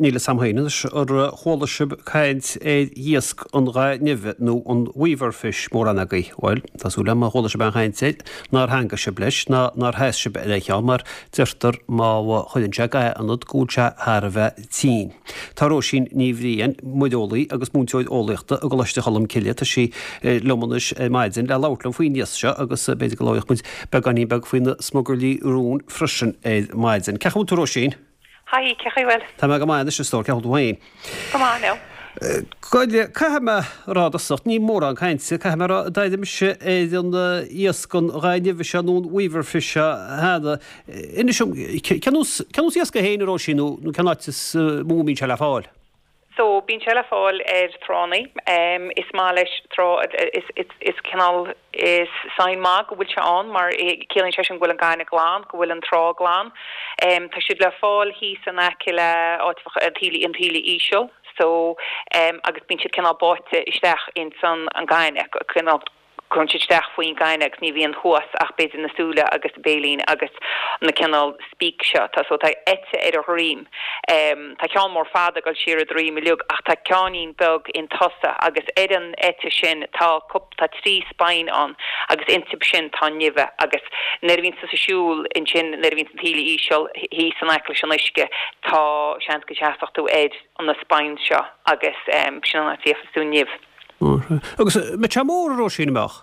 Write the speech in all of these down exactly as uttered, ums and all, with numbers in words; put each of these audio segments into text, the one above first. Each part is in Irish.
Níl fhios a'm féin anois ar chuala sibh caint ar iasc an gha nimhe nó an weaver fish mórán agaibh. Bhuel, tá súil agam má chuala sibh aon chaint air nár theangaigh sibh leis ná nár sheas sibh ar a cheann mar deirtear má chuireann sé ga ionat go bhfuil sé thar a bheith tinn. Tá Róisín Ní Bhriain, muireolaí agus múinteoir eolaíochta i gColáiste Cholm Cille, tá sí liom anois ar maidin le labhairt liom faoin iasc seo agus b'fhéidir go labhróidh muid beagáinín beag faoi na smugairlí rún freisin ar maidin. Cén chaoi a bhfuil tú Róisín? Hi, cén chaoi a bhfuil? Tá mé go maith anois a stór, cén chaoi a bhfuil tú féin? Go maith now. Goile, caithfidh mé a rá i dtosach, ní mórán cainte, caithfidh mé a rá, a d'airigh mise ar an iasc an gha nimhe seo nó an weaver fish seo cheana. Inis dom, cén nós cén nós iasc é féin a Róisín nó nó cén áit is mó a mbíonn sé le fáil? So, bíonn sé le fáil ar tránna. Is maith leis trá, is is is cineál, is sign maith go bhfuil sé ann mar ciallaíonn sé sin go bhfuil an gaineamh glan, go bhfuil an trá glan. Tá siad le fáil thíos in aice le áit an taoille an taoille íseal so agus bíonn siad cineál báite isteach ins an an gaineamh, cineál Cuireann siad isteach faoin gaineamh agus ní bhíonn thuas ach b'fhéidir na súile agus béilín agus na cineál spíce seo. Tá so tá eite ar a dhroim. Tá ceann mór fada ag dul siar a droim uilig ach tá ceainnín beag in tosach agus ar an eite sin tá cúp tá trí spine ann agus iontu sin tá nimh agus nuair a bhíonn tusa ag siúl ansin nuair a bhíonn an taoille íseal thíos in aice leis an uisce tá seans go seasfadh tú ar na spines seo agus sin an áit a bhfaighfeas tú nimh. Agus mbeadh sé mór a Róisín, an mbeadh?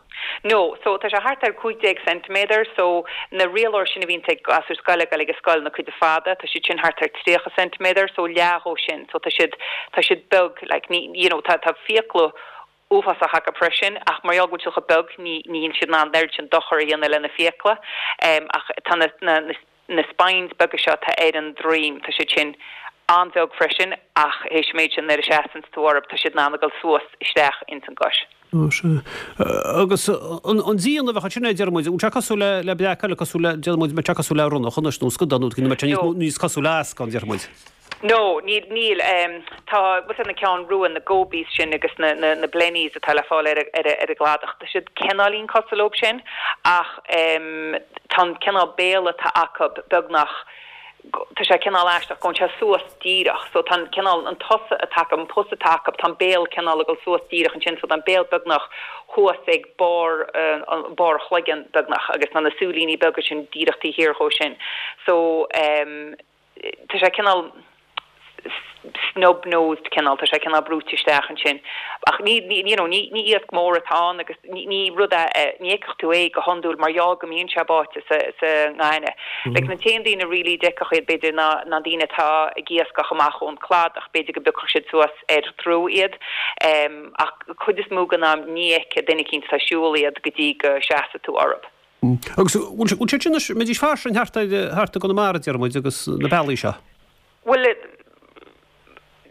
No, so tá sé thart ar cúig déag ceintiméadar, so na rialóir sin a bhíonns ag gasúir scoile ag dul ag an scoil, na cuid fada, tá siad sin thart ar tríocha ceintiméadar, so leath dhó sin, so tá siad, tá siad beag, like ní, you know, tá, tá fiacla uafásach acu freisin, ach mar gheall go bhfuil siad chomh beag ní, níl siad in ann an oiread sin dochar a dhéanamh lena fiacla, ach tá na, na, na. Na spines beaga seo atá ar an droim, tá siad sin an-bheag freisin ach théis an méid sin nuair a seasanns tú orthu tá siad in ann a dhul suas isteach ins an gcois. Ó sea. Agus an déanamh a bheadh ansin, deir muid, an bhfuil sé cosúil le le breac eile, cosúil le, déarfaidh muid, mbeadh sé cosúil le ronnach anois nó scadán nó mbeadh sé níos níos cosúil le ascán, déarfaidh muid. No, níl, níl. Tá, bhfuil fhios agat na ceann rua, na gobies sin agus na, na, na blennies atá le fáil ar, ar, ar an gcladach, tá siad cineáilín cosúil leob sin ach tá an cineál béal atá acu beagnach, tá sé cineál aisteach, gabhann sé suas díreach so tá an cineál, an tosach atá acu, an pus atá acu, tá an béal cineál ag dul suas díreach ansin so tá an béal beagnach thuas ag barr, barr a chloigeann beagnach agus tá na súilíní beaga sin díreach taobh thiar dhó sin so. tá sé cineál snub-nosed cineál, tá sé cineál brúite isteach ansin. Ach ní, ní, you know, ní, ní iasc mór atá ann agus ní, ní rud é, ní fheicfeadh tú é go hiondúil mar gheall go mbíonn sé báite sa, sa ngaineamh. Like na t-aon daoine really a d'fheicfeadh iad b'fhéidir ná, ná daoine atá ag iascach amach ón cladach, b'fhéidir go bpiocfadh siad suas ar trú iad. Ach cuid is mó den am ní fheicfidh duine eicínt atá ag siúl iad go dtí go seasfaidh tú orthu. Agus bhfuil siad sin anois, mbeidís fairsing thart ar, thart i gConamara, deir muid, agus na bealaí seo? Bhuel,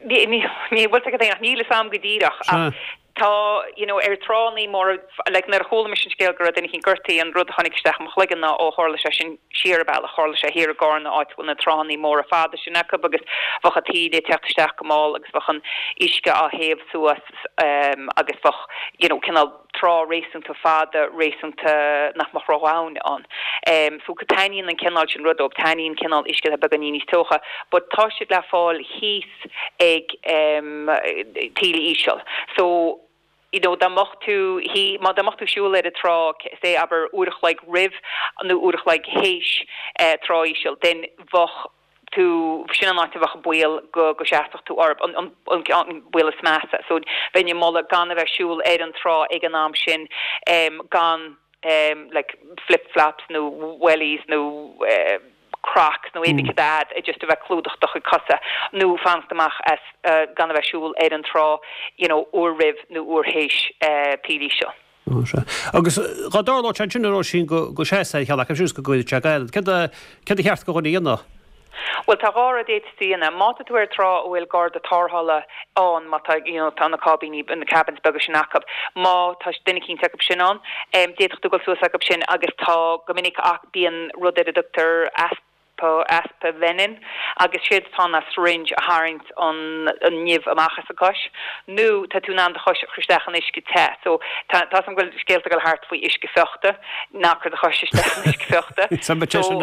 ní, ní, ní, bhfuil fhios agat ach níl fhios a'm go díreach ach tá, you know, ar tránnaí móra, like nuair a chuala mise an scéal go raibh duine eicínt gortaithe, an rud a tháinig isteach i mo chloigeann ná ó tharla sé sin siar an bealach, tharla sé thiar i gCarna áit a bhfuil na tránnaí móra fada sin acu agus bheadh an taoille ag teacht isteach go mall agus bheadh an uisce á théamh suas agus bheadh, you know, cineál trá réasúnta fada, réasúnta nach mbeadh ródhomhain ann. So taitníonn an cineál sin rud dóibh, taitníonn cineál uisce atá beagáinín níos teocha, but tá siad le fáil thíos ag taoille íseal. So, you know, dá mbeadh tú, má dá mbeadh tú ag siúl ar an trá, say abair uair a chloig roimh nó uair a chloig théis trá íseal, then bheadh, tú, sin an áit a bheadh an baol go go seasfadh tú orthu, an an an baol is measa. So bheinn ag moladh gan a bheith ag siúl ar an trá ag an am sin gan like flip flops nó wellies nó crocs nó éadaí cad é just a bheith clúdach do chuid cosa nó fanacht amach as gan a bheith ag siúl ar an trá you know uair roimh nó uair théis taoille íseal. Ó sea. Agus dhá dtarlódh sé ansin a Róisín go go seasfá ar cheann acu sin is go gcuirfeadh sé ga ionat, céard a céard a cheart do dhuine a dhéanamh? Bhuel tá dhá rud a d'fhéadfá a dhéanamh. Má tá tú ar trá a bhfuil garda tarrthála ann, má tá you know tá na cáibíní, na cabins beaga sin acu, má tá duine eicínt acu sin ann, d'fhéadfadh tú dul suas acu sin agus tá go minic ach bíonn rud ar a dtugtar Aspavenen agus séard atá ann ná syringe a tharraingt an nimh amach as an cois nó tá tú in ann do chois a chur isteach in uisce te so tá tá 'fhios a'm go bhfuil scéalta ag dul thart faoi uisce fiuchta ná cuir do chois isteach in uisce fiuchta so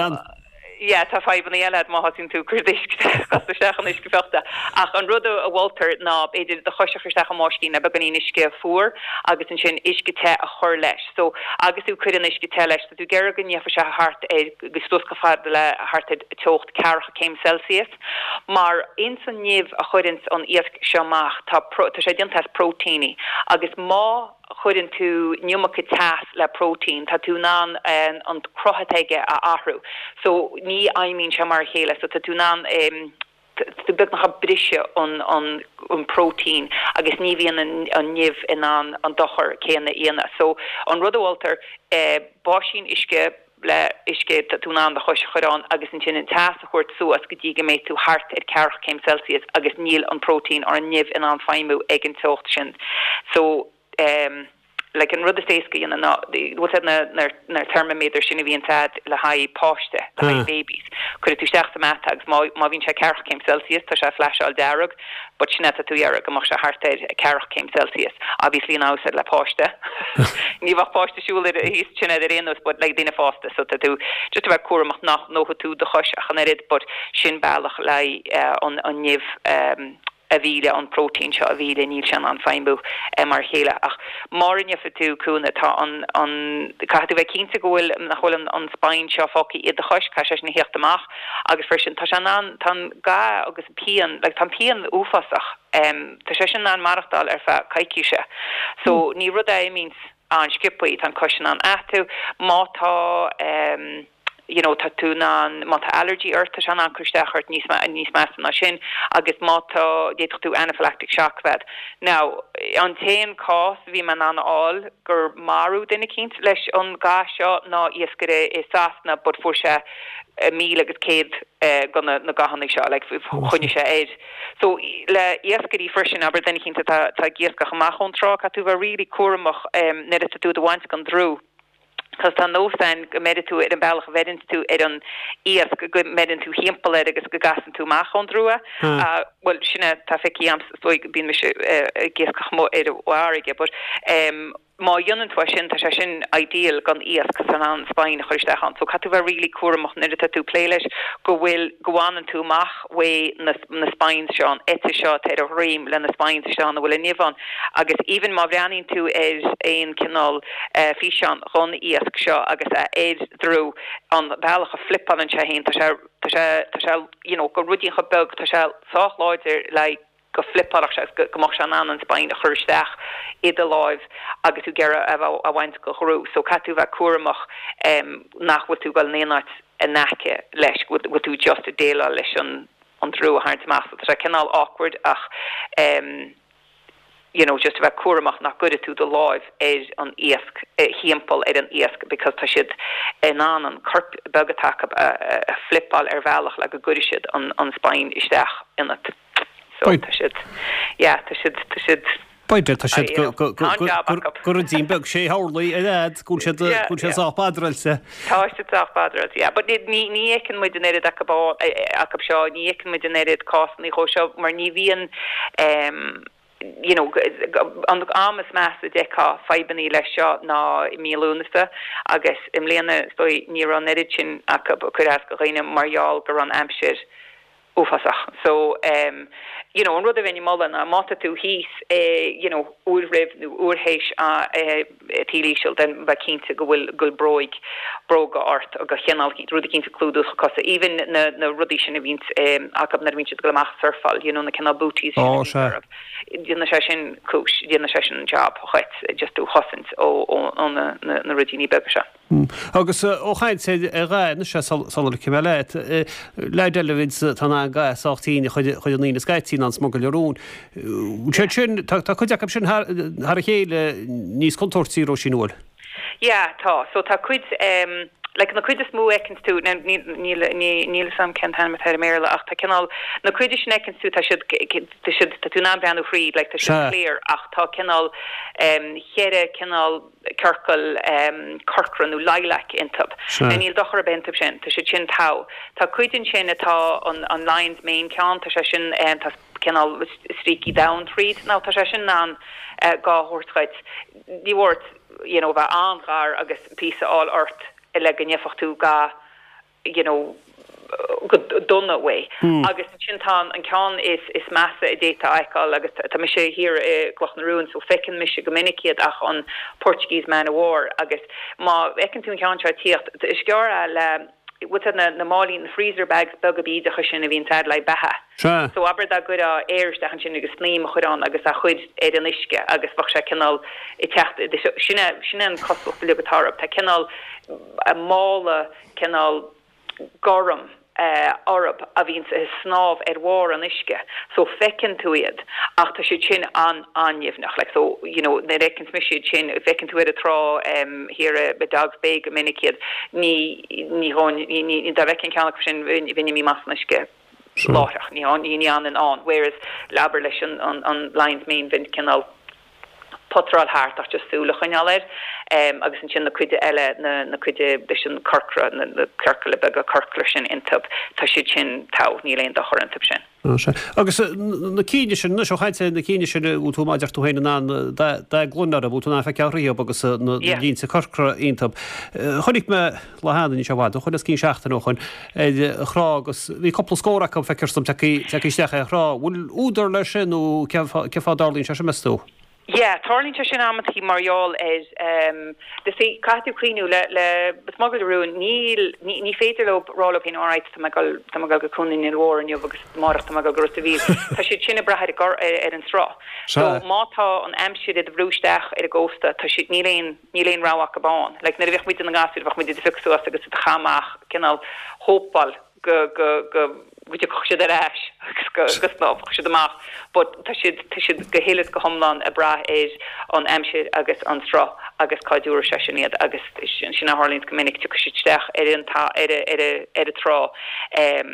Yeah, tá fadhbanna eile má thosaíonn tú cur cos isteach in uisce fiuchta. Ach an rud a mholtar ná b'fhéidir do chos a chur isteach i mbáisín le beagáinín uisce fuar agus ansin uisce te a chur leis. So agus tú cuir an uisce te leis, tá tú ag iarraidh go ndéanfaidh sé thart ar go suas go fada le thart ar teocht ceathracha céim Celsius. Mar ins an nimh a chuireann an iasc seo amach tá tá sé déanta as próitéiní agus má chuireann tú an iomarca teas le próitéin, tá tú in ann an cruth atá aige a athrú. So ní fheidhmíonn sé mar a chéile, so tá tú in ann tú beagnach ag briseadh an an an próitéin agus ní bhíonn an an nimh in ann an dochar céanna a dhéanamh. So an rud a mholtar eh, báisín uisce le uisce tá tú in ann do chois a chur ann agus ansin an teas a thabhairt suas go dtí go mbeidh tú thart ar ceathracha céim Celsius agus níl an próitéin or an nimh in ann feidhmiú ag an teocht sin. So um, like an rud is éasca dhéanamh ná bhfuil na na na thermometer sin a bhíonn agat le haghaidh páiste le haghaidh babies. Cuirfidh tú isteach sa mata agus má má bhíonn sé ceathracha céim Celsius tá sé flasháil dearg, but sin tá tú ag iarraidh go mbeadh sé thart ar ceathracha céim Celsius. Obviously now said le páiste. Ní bheadh páiste siúl ar thíos sin ar aon nós but like daoine fásta so tá tú just a bheith cúramach nach ndófaidh tú do chois ach an oiread, but sin bealach le uh, an an nimh um, a mhilleadh an próitéin seo a mhilleadh níl sé an feidhmiú eh, mar chéile ach mar inniu tú cúna tá an an caithfidh tú bheith cinnte go bhfuil nach bhfuil an, an spine seo fágtha i do chois caithfidh sé sin a theacht amach agus freisin tá sé an tá ga agus pian like, tá pian uafásach um, tá sé sin an maireachtáil ar feadh coicíse so mm. ní rud é means an sciobtha tá an chois an atú má tá um, you know tá tú an má tá allergy ort tá sé an cur isteach ort níos níos measa ná sin agus má tá d'fhéadfadh tú anaphylactic shock bheith. Now an t-aon cás bhí man an áil gur marú duine eicínt leis an ga seo ná iascaire i Sasana but fuair sé míle agus céad go na na gathanna seo like, choinnigh sé air. So le iascairí freisin abair duine eicínt tá tá ag iascach amach ón trá caithfidh tú bheith really cúramach um, nuair atá tú á bhaint den drú. Cos tá nós ann go mbeireann tú ar an bealach a bheireann tú ar an iasc go mbeireann tú timpeall air agus go gcasann tú amach ón drú. Hmm. Uh, well sinne tá feiceáil am bíonn mise ag iascach ar an bhfarraige, but um, má dhéanann tú sin tá sé sin ideal don iasc san an spine chur isteach ann. So caithfidh tú bheith really cúramach nuair atá tú plé leis go bhfuil go bhfanann tú amach uaidh na, na spines seo an eite seo ar a dhroim le na spines seo na bhfuil an nimh ann. agus even má bhreathnaíonn tú ar aon cineál uh, físeán den iasc seo agus a ar drú an bealach a flipeálann sé féin tá sé tá sé tá sé you know, go ruidín chomh beag tá sé sách láidir le go flipeálfadh sé go go mbeadh sé in ann an spine a chur isteach i do láimh agus tú ag iarraidh a bhaint den dhrú, so caithfidh tú bheith cúramach um, nach bhfuil tú ag dul in áit in aice leis bhfuil tú just ag déileáil leis an an drú a tharraingt amach, so tá sé cineál awkward ach um, you know, just a bheith cúramach nach gcuirfidh tú do láimh ar an iasc eh, timpeall ar an iasc because tá siad in ann an corp beag atá acu a, a, a flipeáil ar bhealach le go gcuirfidh siad an, an spine isteach ionat. So tá siad yeah, tá siad tá siad B'fhéidir tá siad go ruidín beag sé horlaí ar fhad go siad go siad sách badráilte. Tá siad sách badráilte, yeah, but ní ní fheiceann muid an oiread acu acu seo ní fheiceann muid an oiread cásanna chomh seo mar ní bhíonn um, you know, an am is measa a d'fheicfeá fadhbanna leis seo ná i mí Lúnasa agus i mbliana ní raibh an oiread sin acu ag cur as do dhaoine mar gheall go raibh an aimsir uafásach. So um, you know, an rud a bheinn ag moladh ná má tá tú thíos eh, you know, uair roimh nó uair théis a eh, taoille íseal den bheith cinnte go bhfuil go bróig bróga ort agus cineál rud cinnte clúdú cosa. Even na, na rudaí sin a bhíonn um, acu nuair a bhíonn siad go amach surfáil, you know, na cineál booties oh, sé. Déanann sé sin cúis, déanann sé sin job chuit just tú chosaint ó, ó, ó na, na, na ruidíní beaga seo. Mm. Agus ó chaint ar gha na sé sal cim leat le eile tá an ga sách tinn chuid an lína scaití an smugairle rúin. Sé sin tá cuid acu sin thar a chéile níos contúirtí Róisín bhfuil. Yeah, tá so tá cuid um, like na cuid is mó a fheiceann tú níl níl sam cén t-ainm atá i mBéarla ach tá cineál na cuid sin a fheiceann tú tá siad tá siad tá tú ná breathnú fríd like tá siad clear ach tá cineál um, cheithre cineál ciorcal um, corcra nó lilac iontu. Níl dochar ar bith iontu sin, tá siad sin tá. Tá cuid sin atá an, an lion's mane ceann tá sé sin um, tá cineál stríocaí donn tríd ná tá sé sin an uh, gá thuirt ní ort you know, bheith an-ghar agus píosa a fháil ort le go ndéanfadh tú ga you know, go dona uaidh. Agus ansin tá an ceann is is measa a d'fhéadfá a fheiceáil agus tá mise thiar i gCloch na Rún so feiceann mise go minic iad ach an Portuguese Man of War agus má fheiceann tú an ceann seo ag tíocht is gearr le bhfuil na na málaí na freezer bags beaga bídeacha sin a bhíonn agat le beatha. Sea. So abair dá gcuirfeá aer isteach ansin agus snaidhm a chur ann agus a chur ar an uisce agus bheadh sé cineál ag teacht sin é sin é an cosúlacht uilig atá orthu. Tá cineál mála cineál gorm orthu a bhíonns ag snámh ar bharr an uisce so feiceann tú iad ach tá siad sin an an-nimhneach like so you know nuair a fheiceanns mise iad sin feiceann tú ar an trá thiar i Dog's Bay go minic iad ní ní ní ní dá bhfeicfinn ceann acu sin bheinn imithe amach san uisce láithreach ní ní ní fhanfainn ann whereas abair leis an an an Lion's Mane bheinn cineál potráil thart ach just súil a choinneáil air agus ansin na cuide eile na na cuide leis an corcra na na ciorcail beaga corcra sin iontu tá siad sin togha níl aon dochar iontu sin. Agus na cinn sin anois ó chaint na cinn sin bhfuil tú mar a deir tú féin in ann do ghlúin orthu bhfuil tú in ann feiceáil thríob agus na línte corcra iontu. Chonaic mé lá cheana níl sé i bhfad ó shoin os cionn seachtain ó shoin ar thrá agus bhí cúpla scór acu feictear dom tagtha isteach ar thrá. Bhfuil údar leis sin nó cén fáth a dtarlaíonn sé sin meas tú? Yeah, tarlaíonn sé sin amantaí mar gheall ar um, the see caithfidh tú cuimhniú le le smugairle rúin níl ní, ní féidir leo rá leo féin alright tá mé ag dul tá mé ag dul go Cuan an Innill Mhóir inniu agus amárach tá mé ag dul go Ros a' Mhíl. Tá siad sin ag brath ar ar, ar an sruth. So má tá an aimsir ag brú isteach ar an gcósta tá siad níl aon níl aon rogha acu ann. Like nuair a bheadh muid ina ngasúir bheadh muid ag phiocadh suas agus ag caitheamh amach cineál hópáil go go go go dtiocfadh siad ar ais agus go go snámhfadh siad amach but tá siad tá siad go huile is go hiomlán ag brath ar an aimsir agus an sruth agus cá dtabharfaidh sé sin iad agus sin sin a tharlaíonn go minic tiocfaidh siad isteach ar an ta ar a ar a ar an trá um,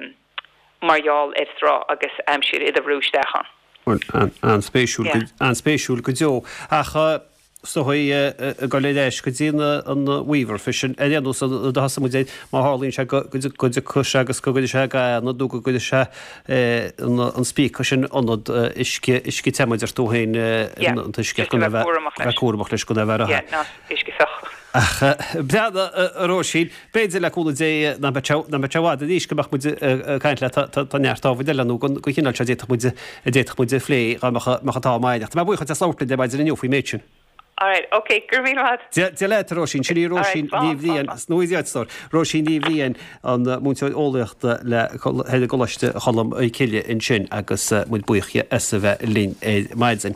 mar gheall ar sruth agus aimsir ag brú isteach ann. An-spéisiúil an-spéisiúil go deo ach so ag dul ar ais go dtí an weaver fish ar aon nós do thosaigh muid má tharlaíonn sé go dtiocfaidh sé agus go gcuirfidh sé ga nó go gcuirfidh sé an spíocadh sin ionad uisce uisce te mar a deir tú féin an t-uisce go bheith cúramach leis go bheith uisce feach. Ach breá a Róisín, b'fhéidir le cúnamh Dé nach mbeidh sé i bhfad arís go mbeadh muid ag caint leat tá neart ábhair eile nó go chineál seo a d'fhéadfadh muid a d'fhéadfadh muid a phlé dá mbeadh an t-am againn. Tá mé buíoch as labhairt linn ar maidin inniu faoin méid sin. Alright, okay, go raibh míle maith. Dia leat a Róisín, sin í Róisín Ní Bhriain, nó í Róisín Ní Bhriain an múinteoir eolaíochta le i gColáiste Cholm Cille ansin agus muid buíoch as a bheith linn ar maidin.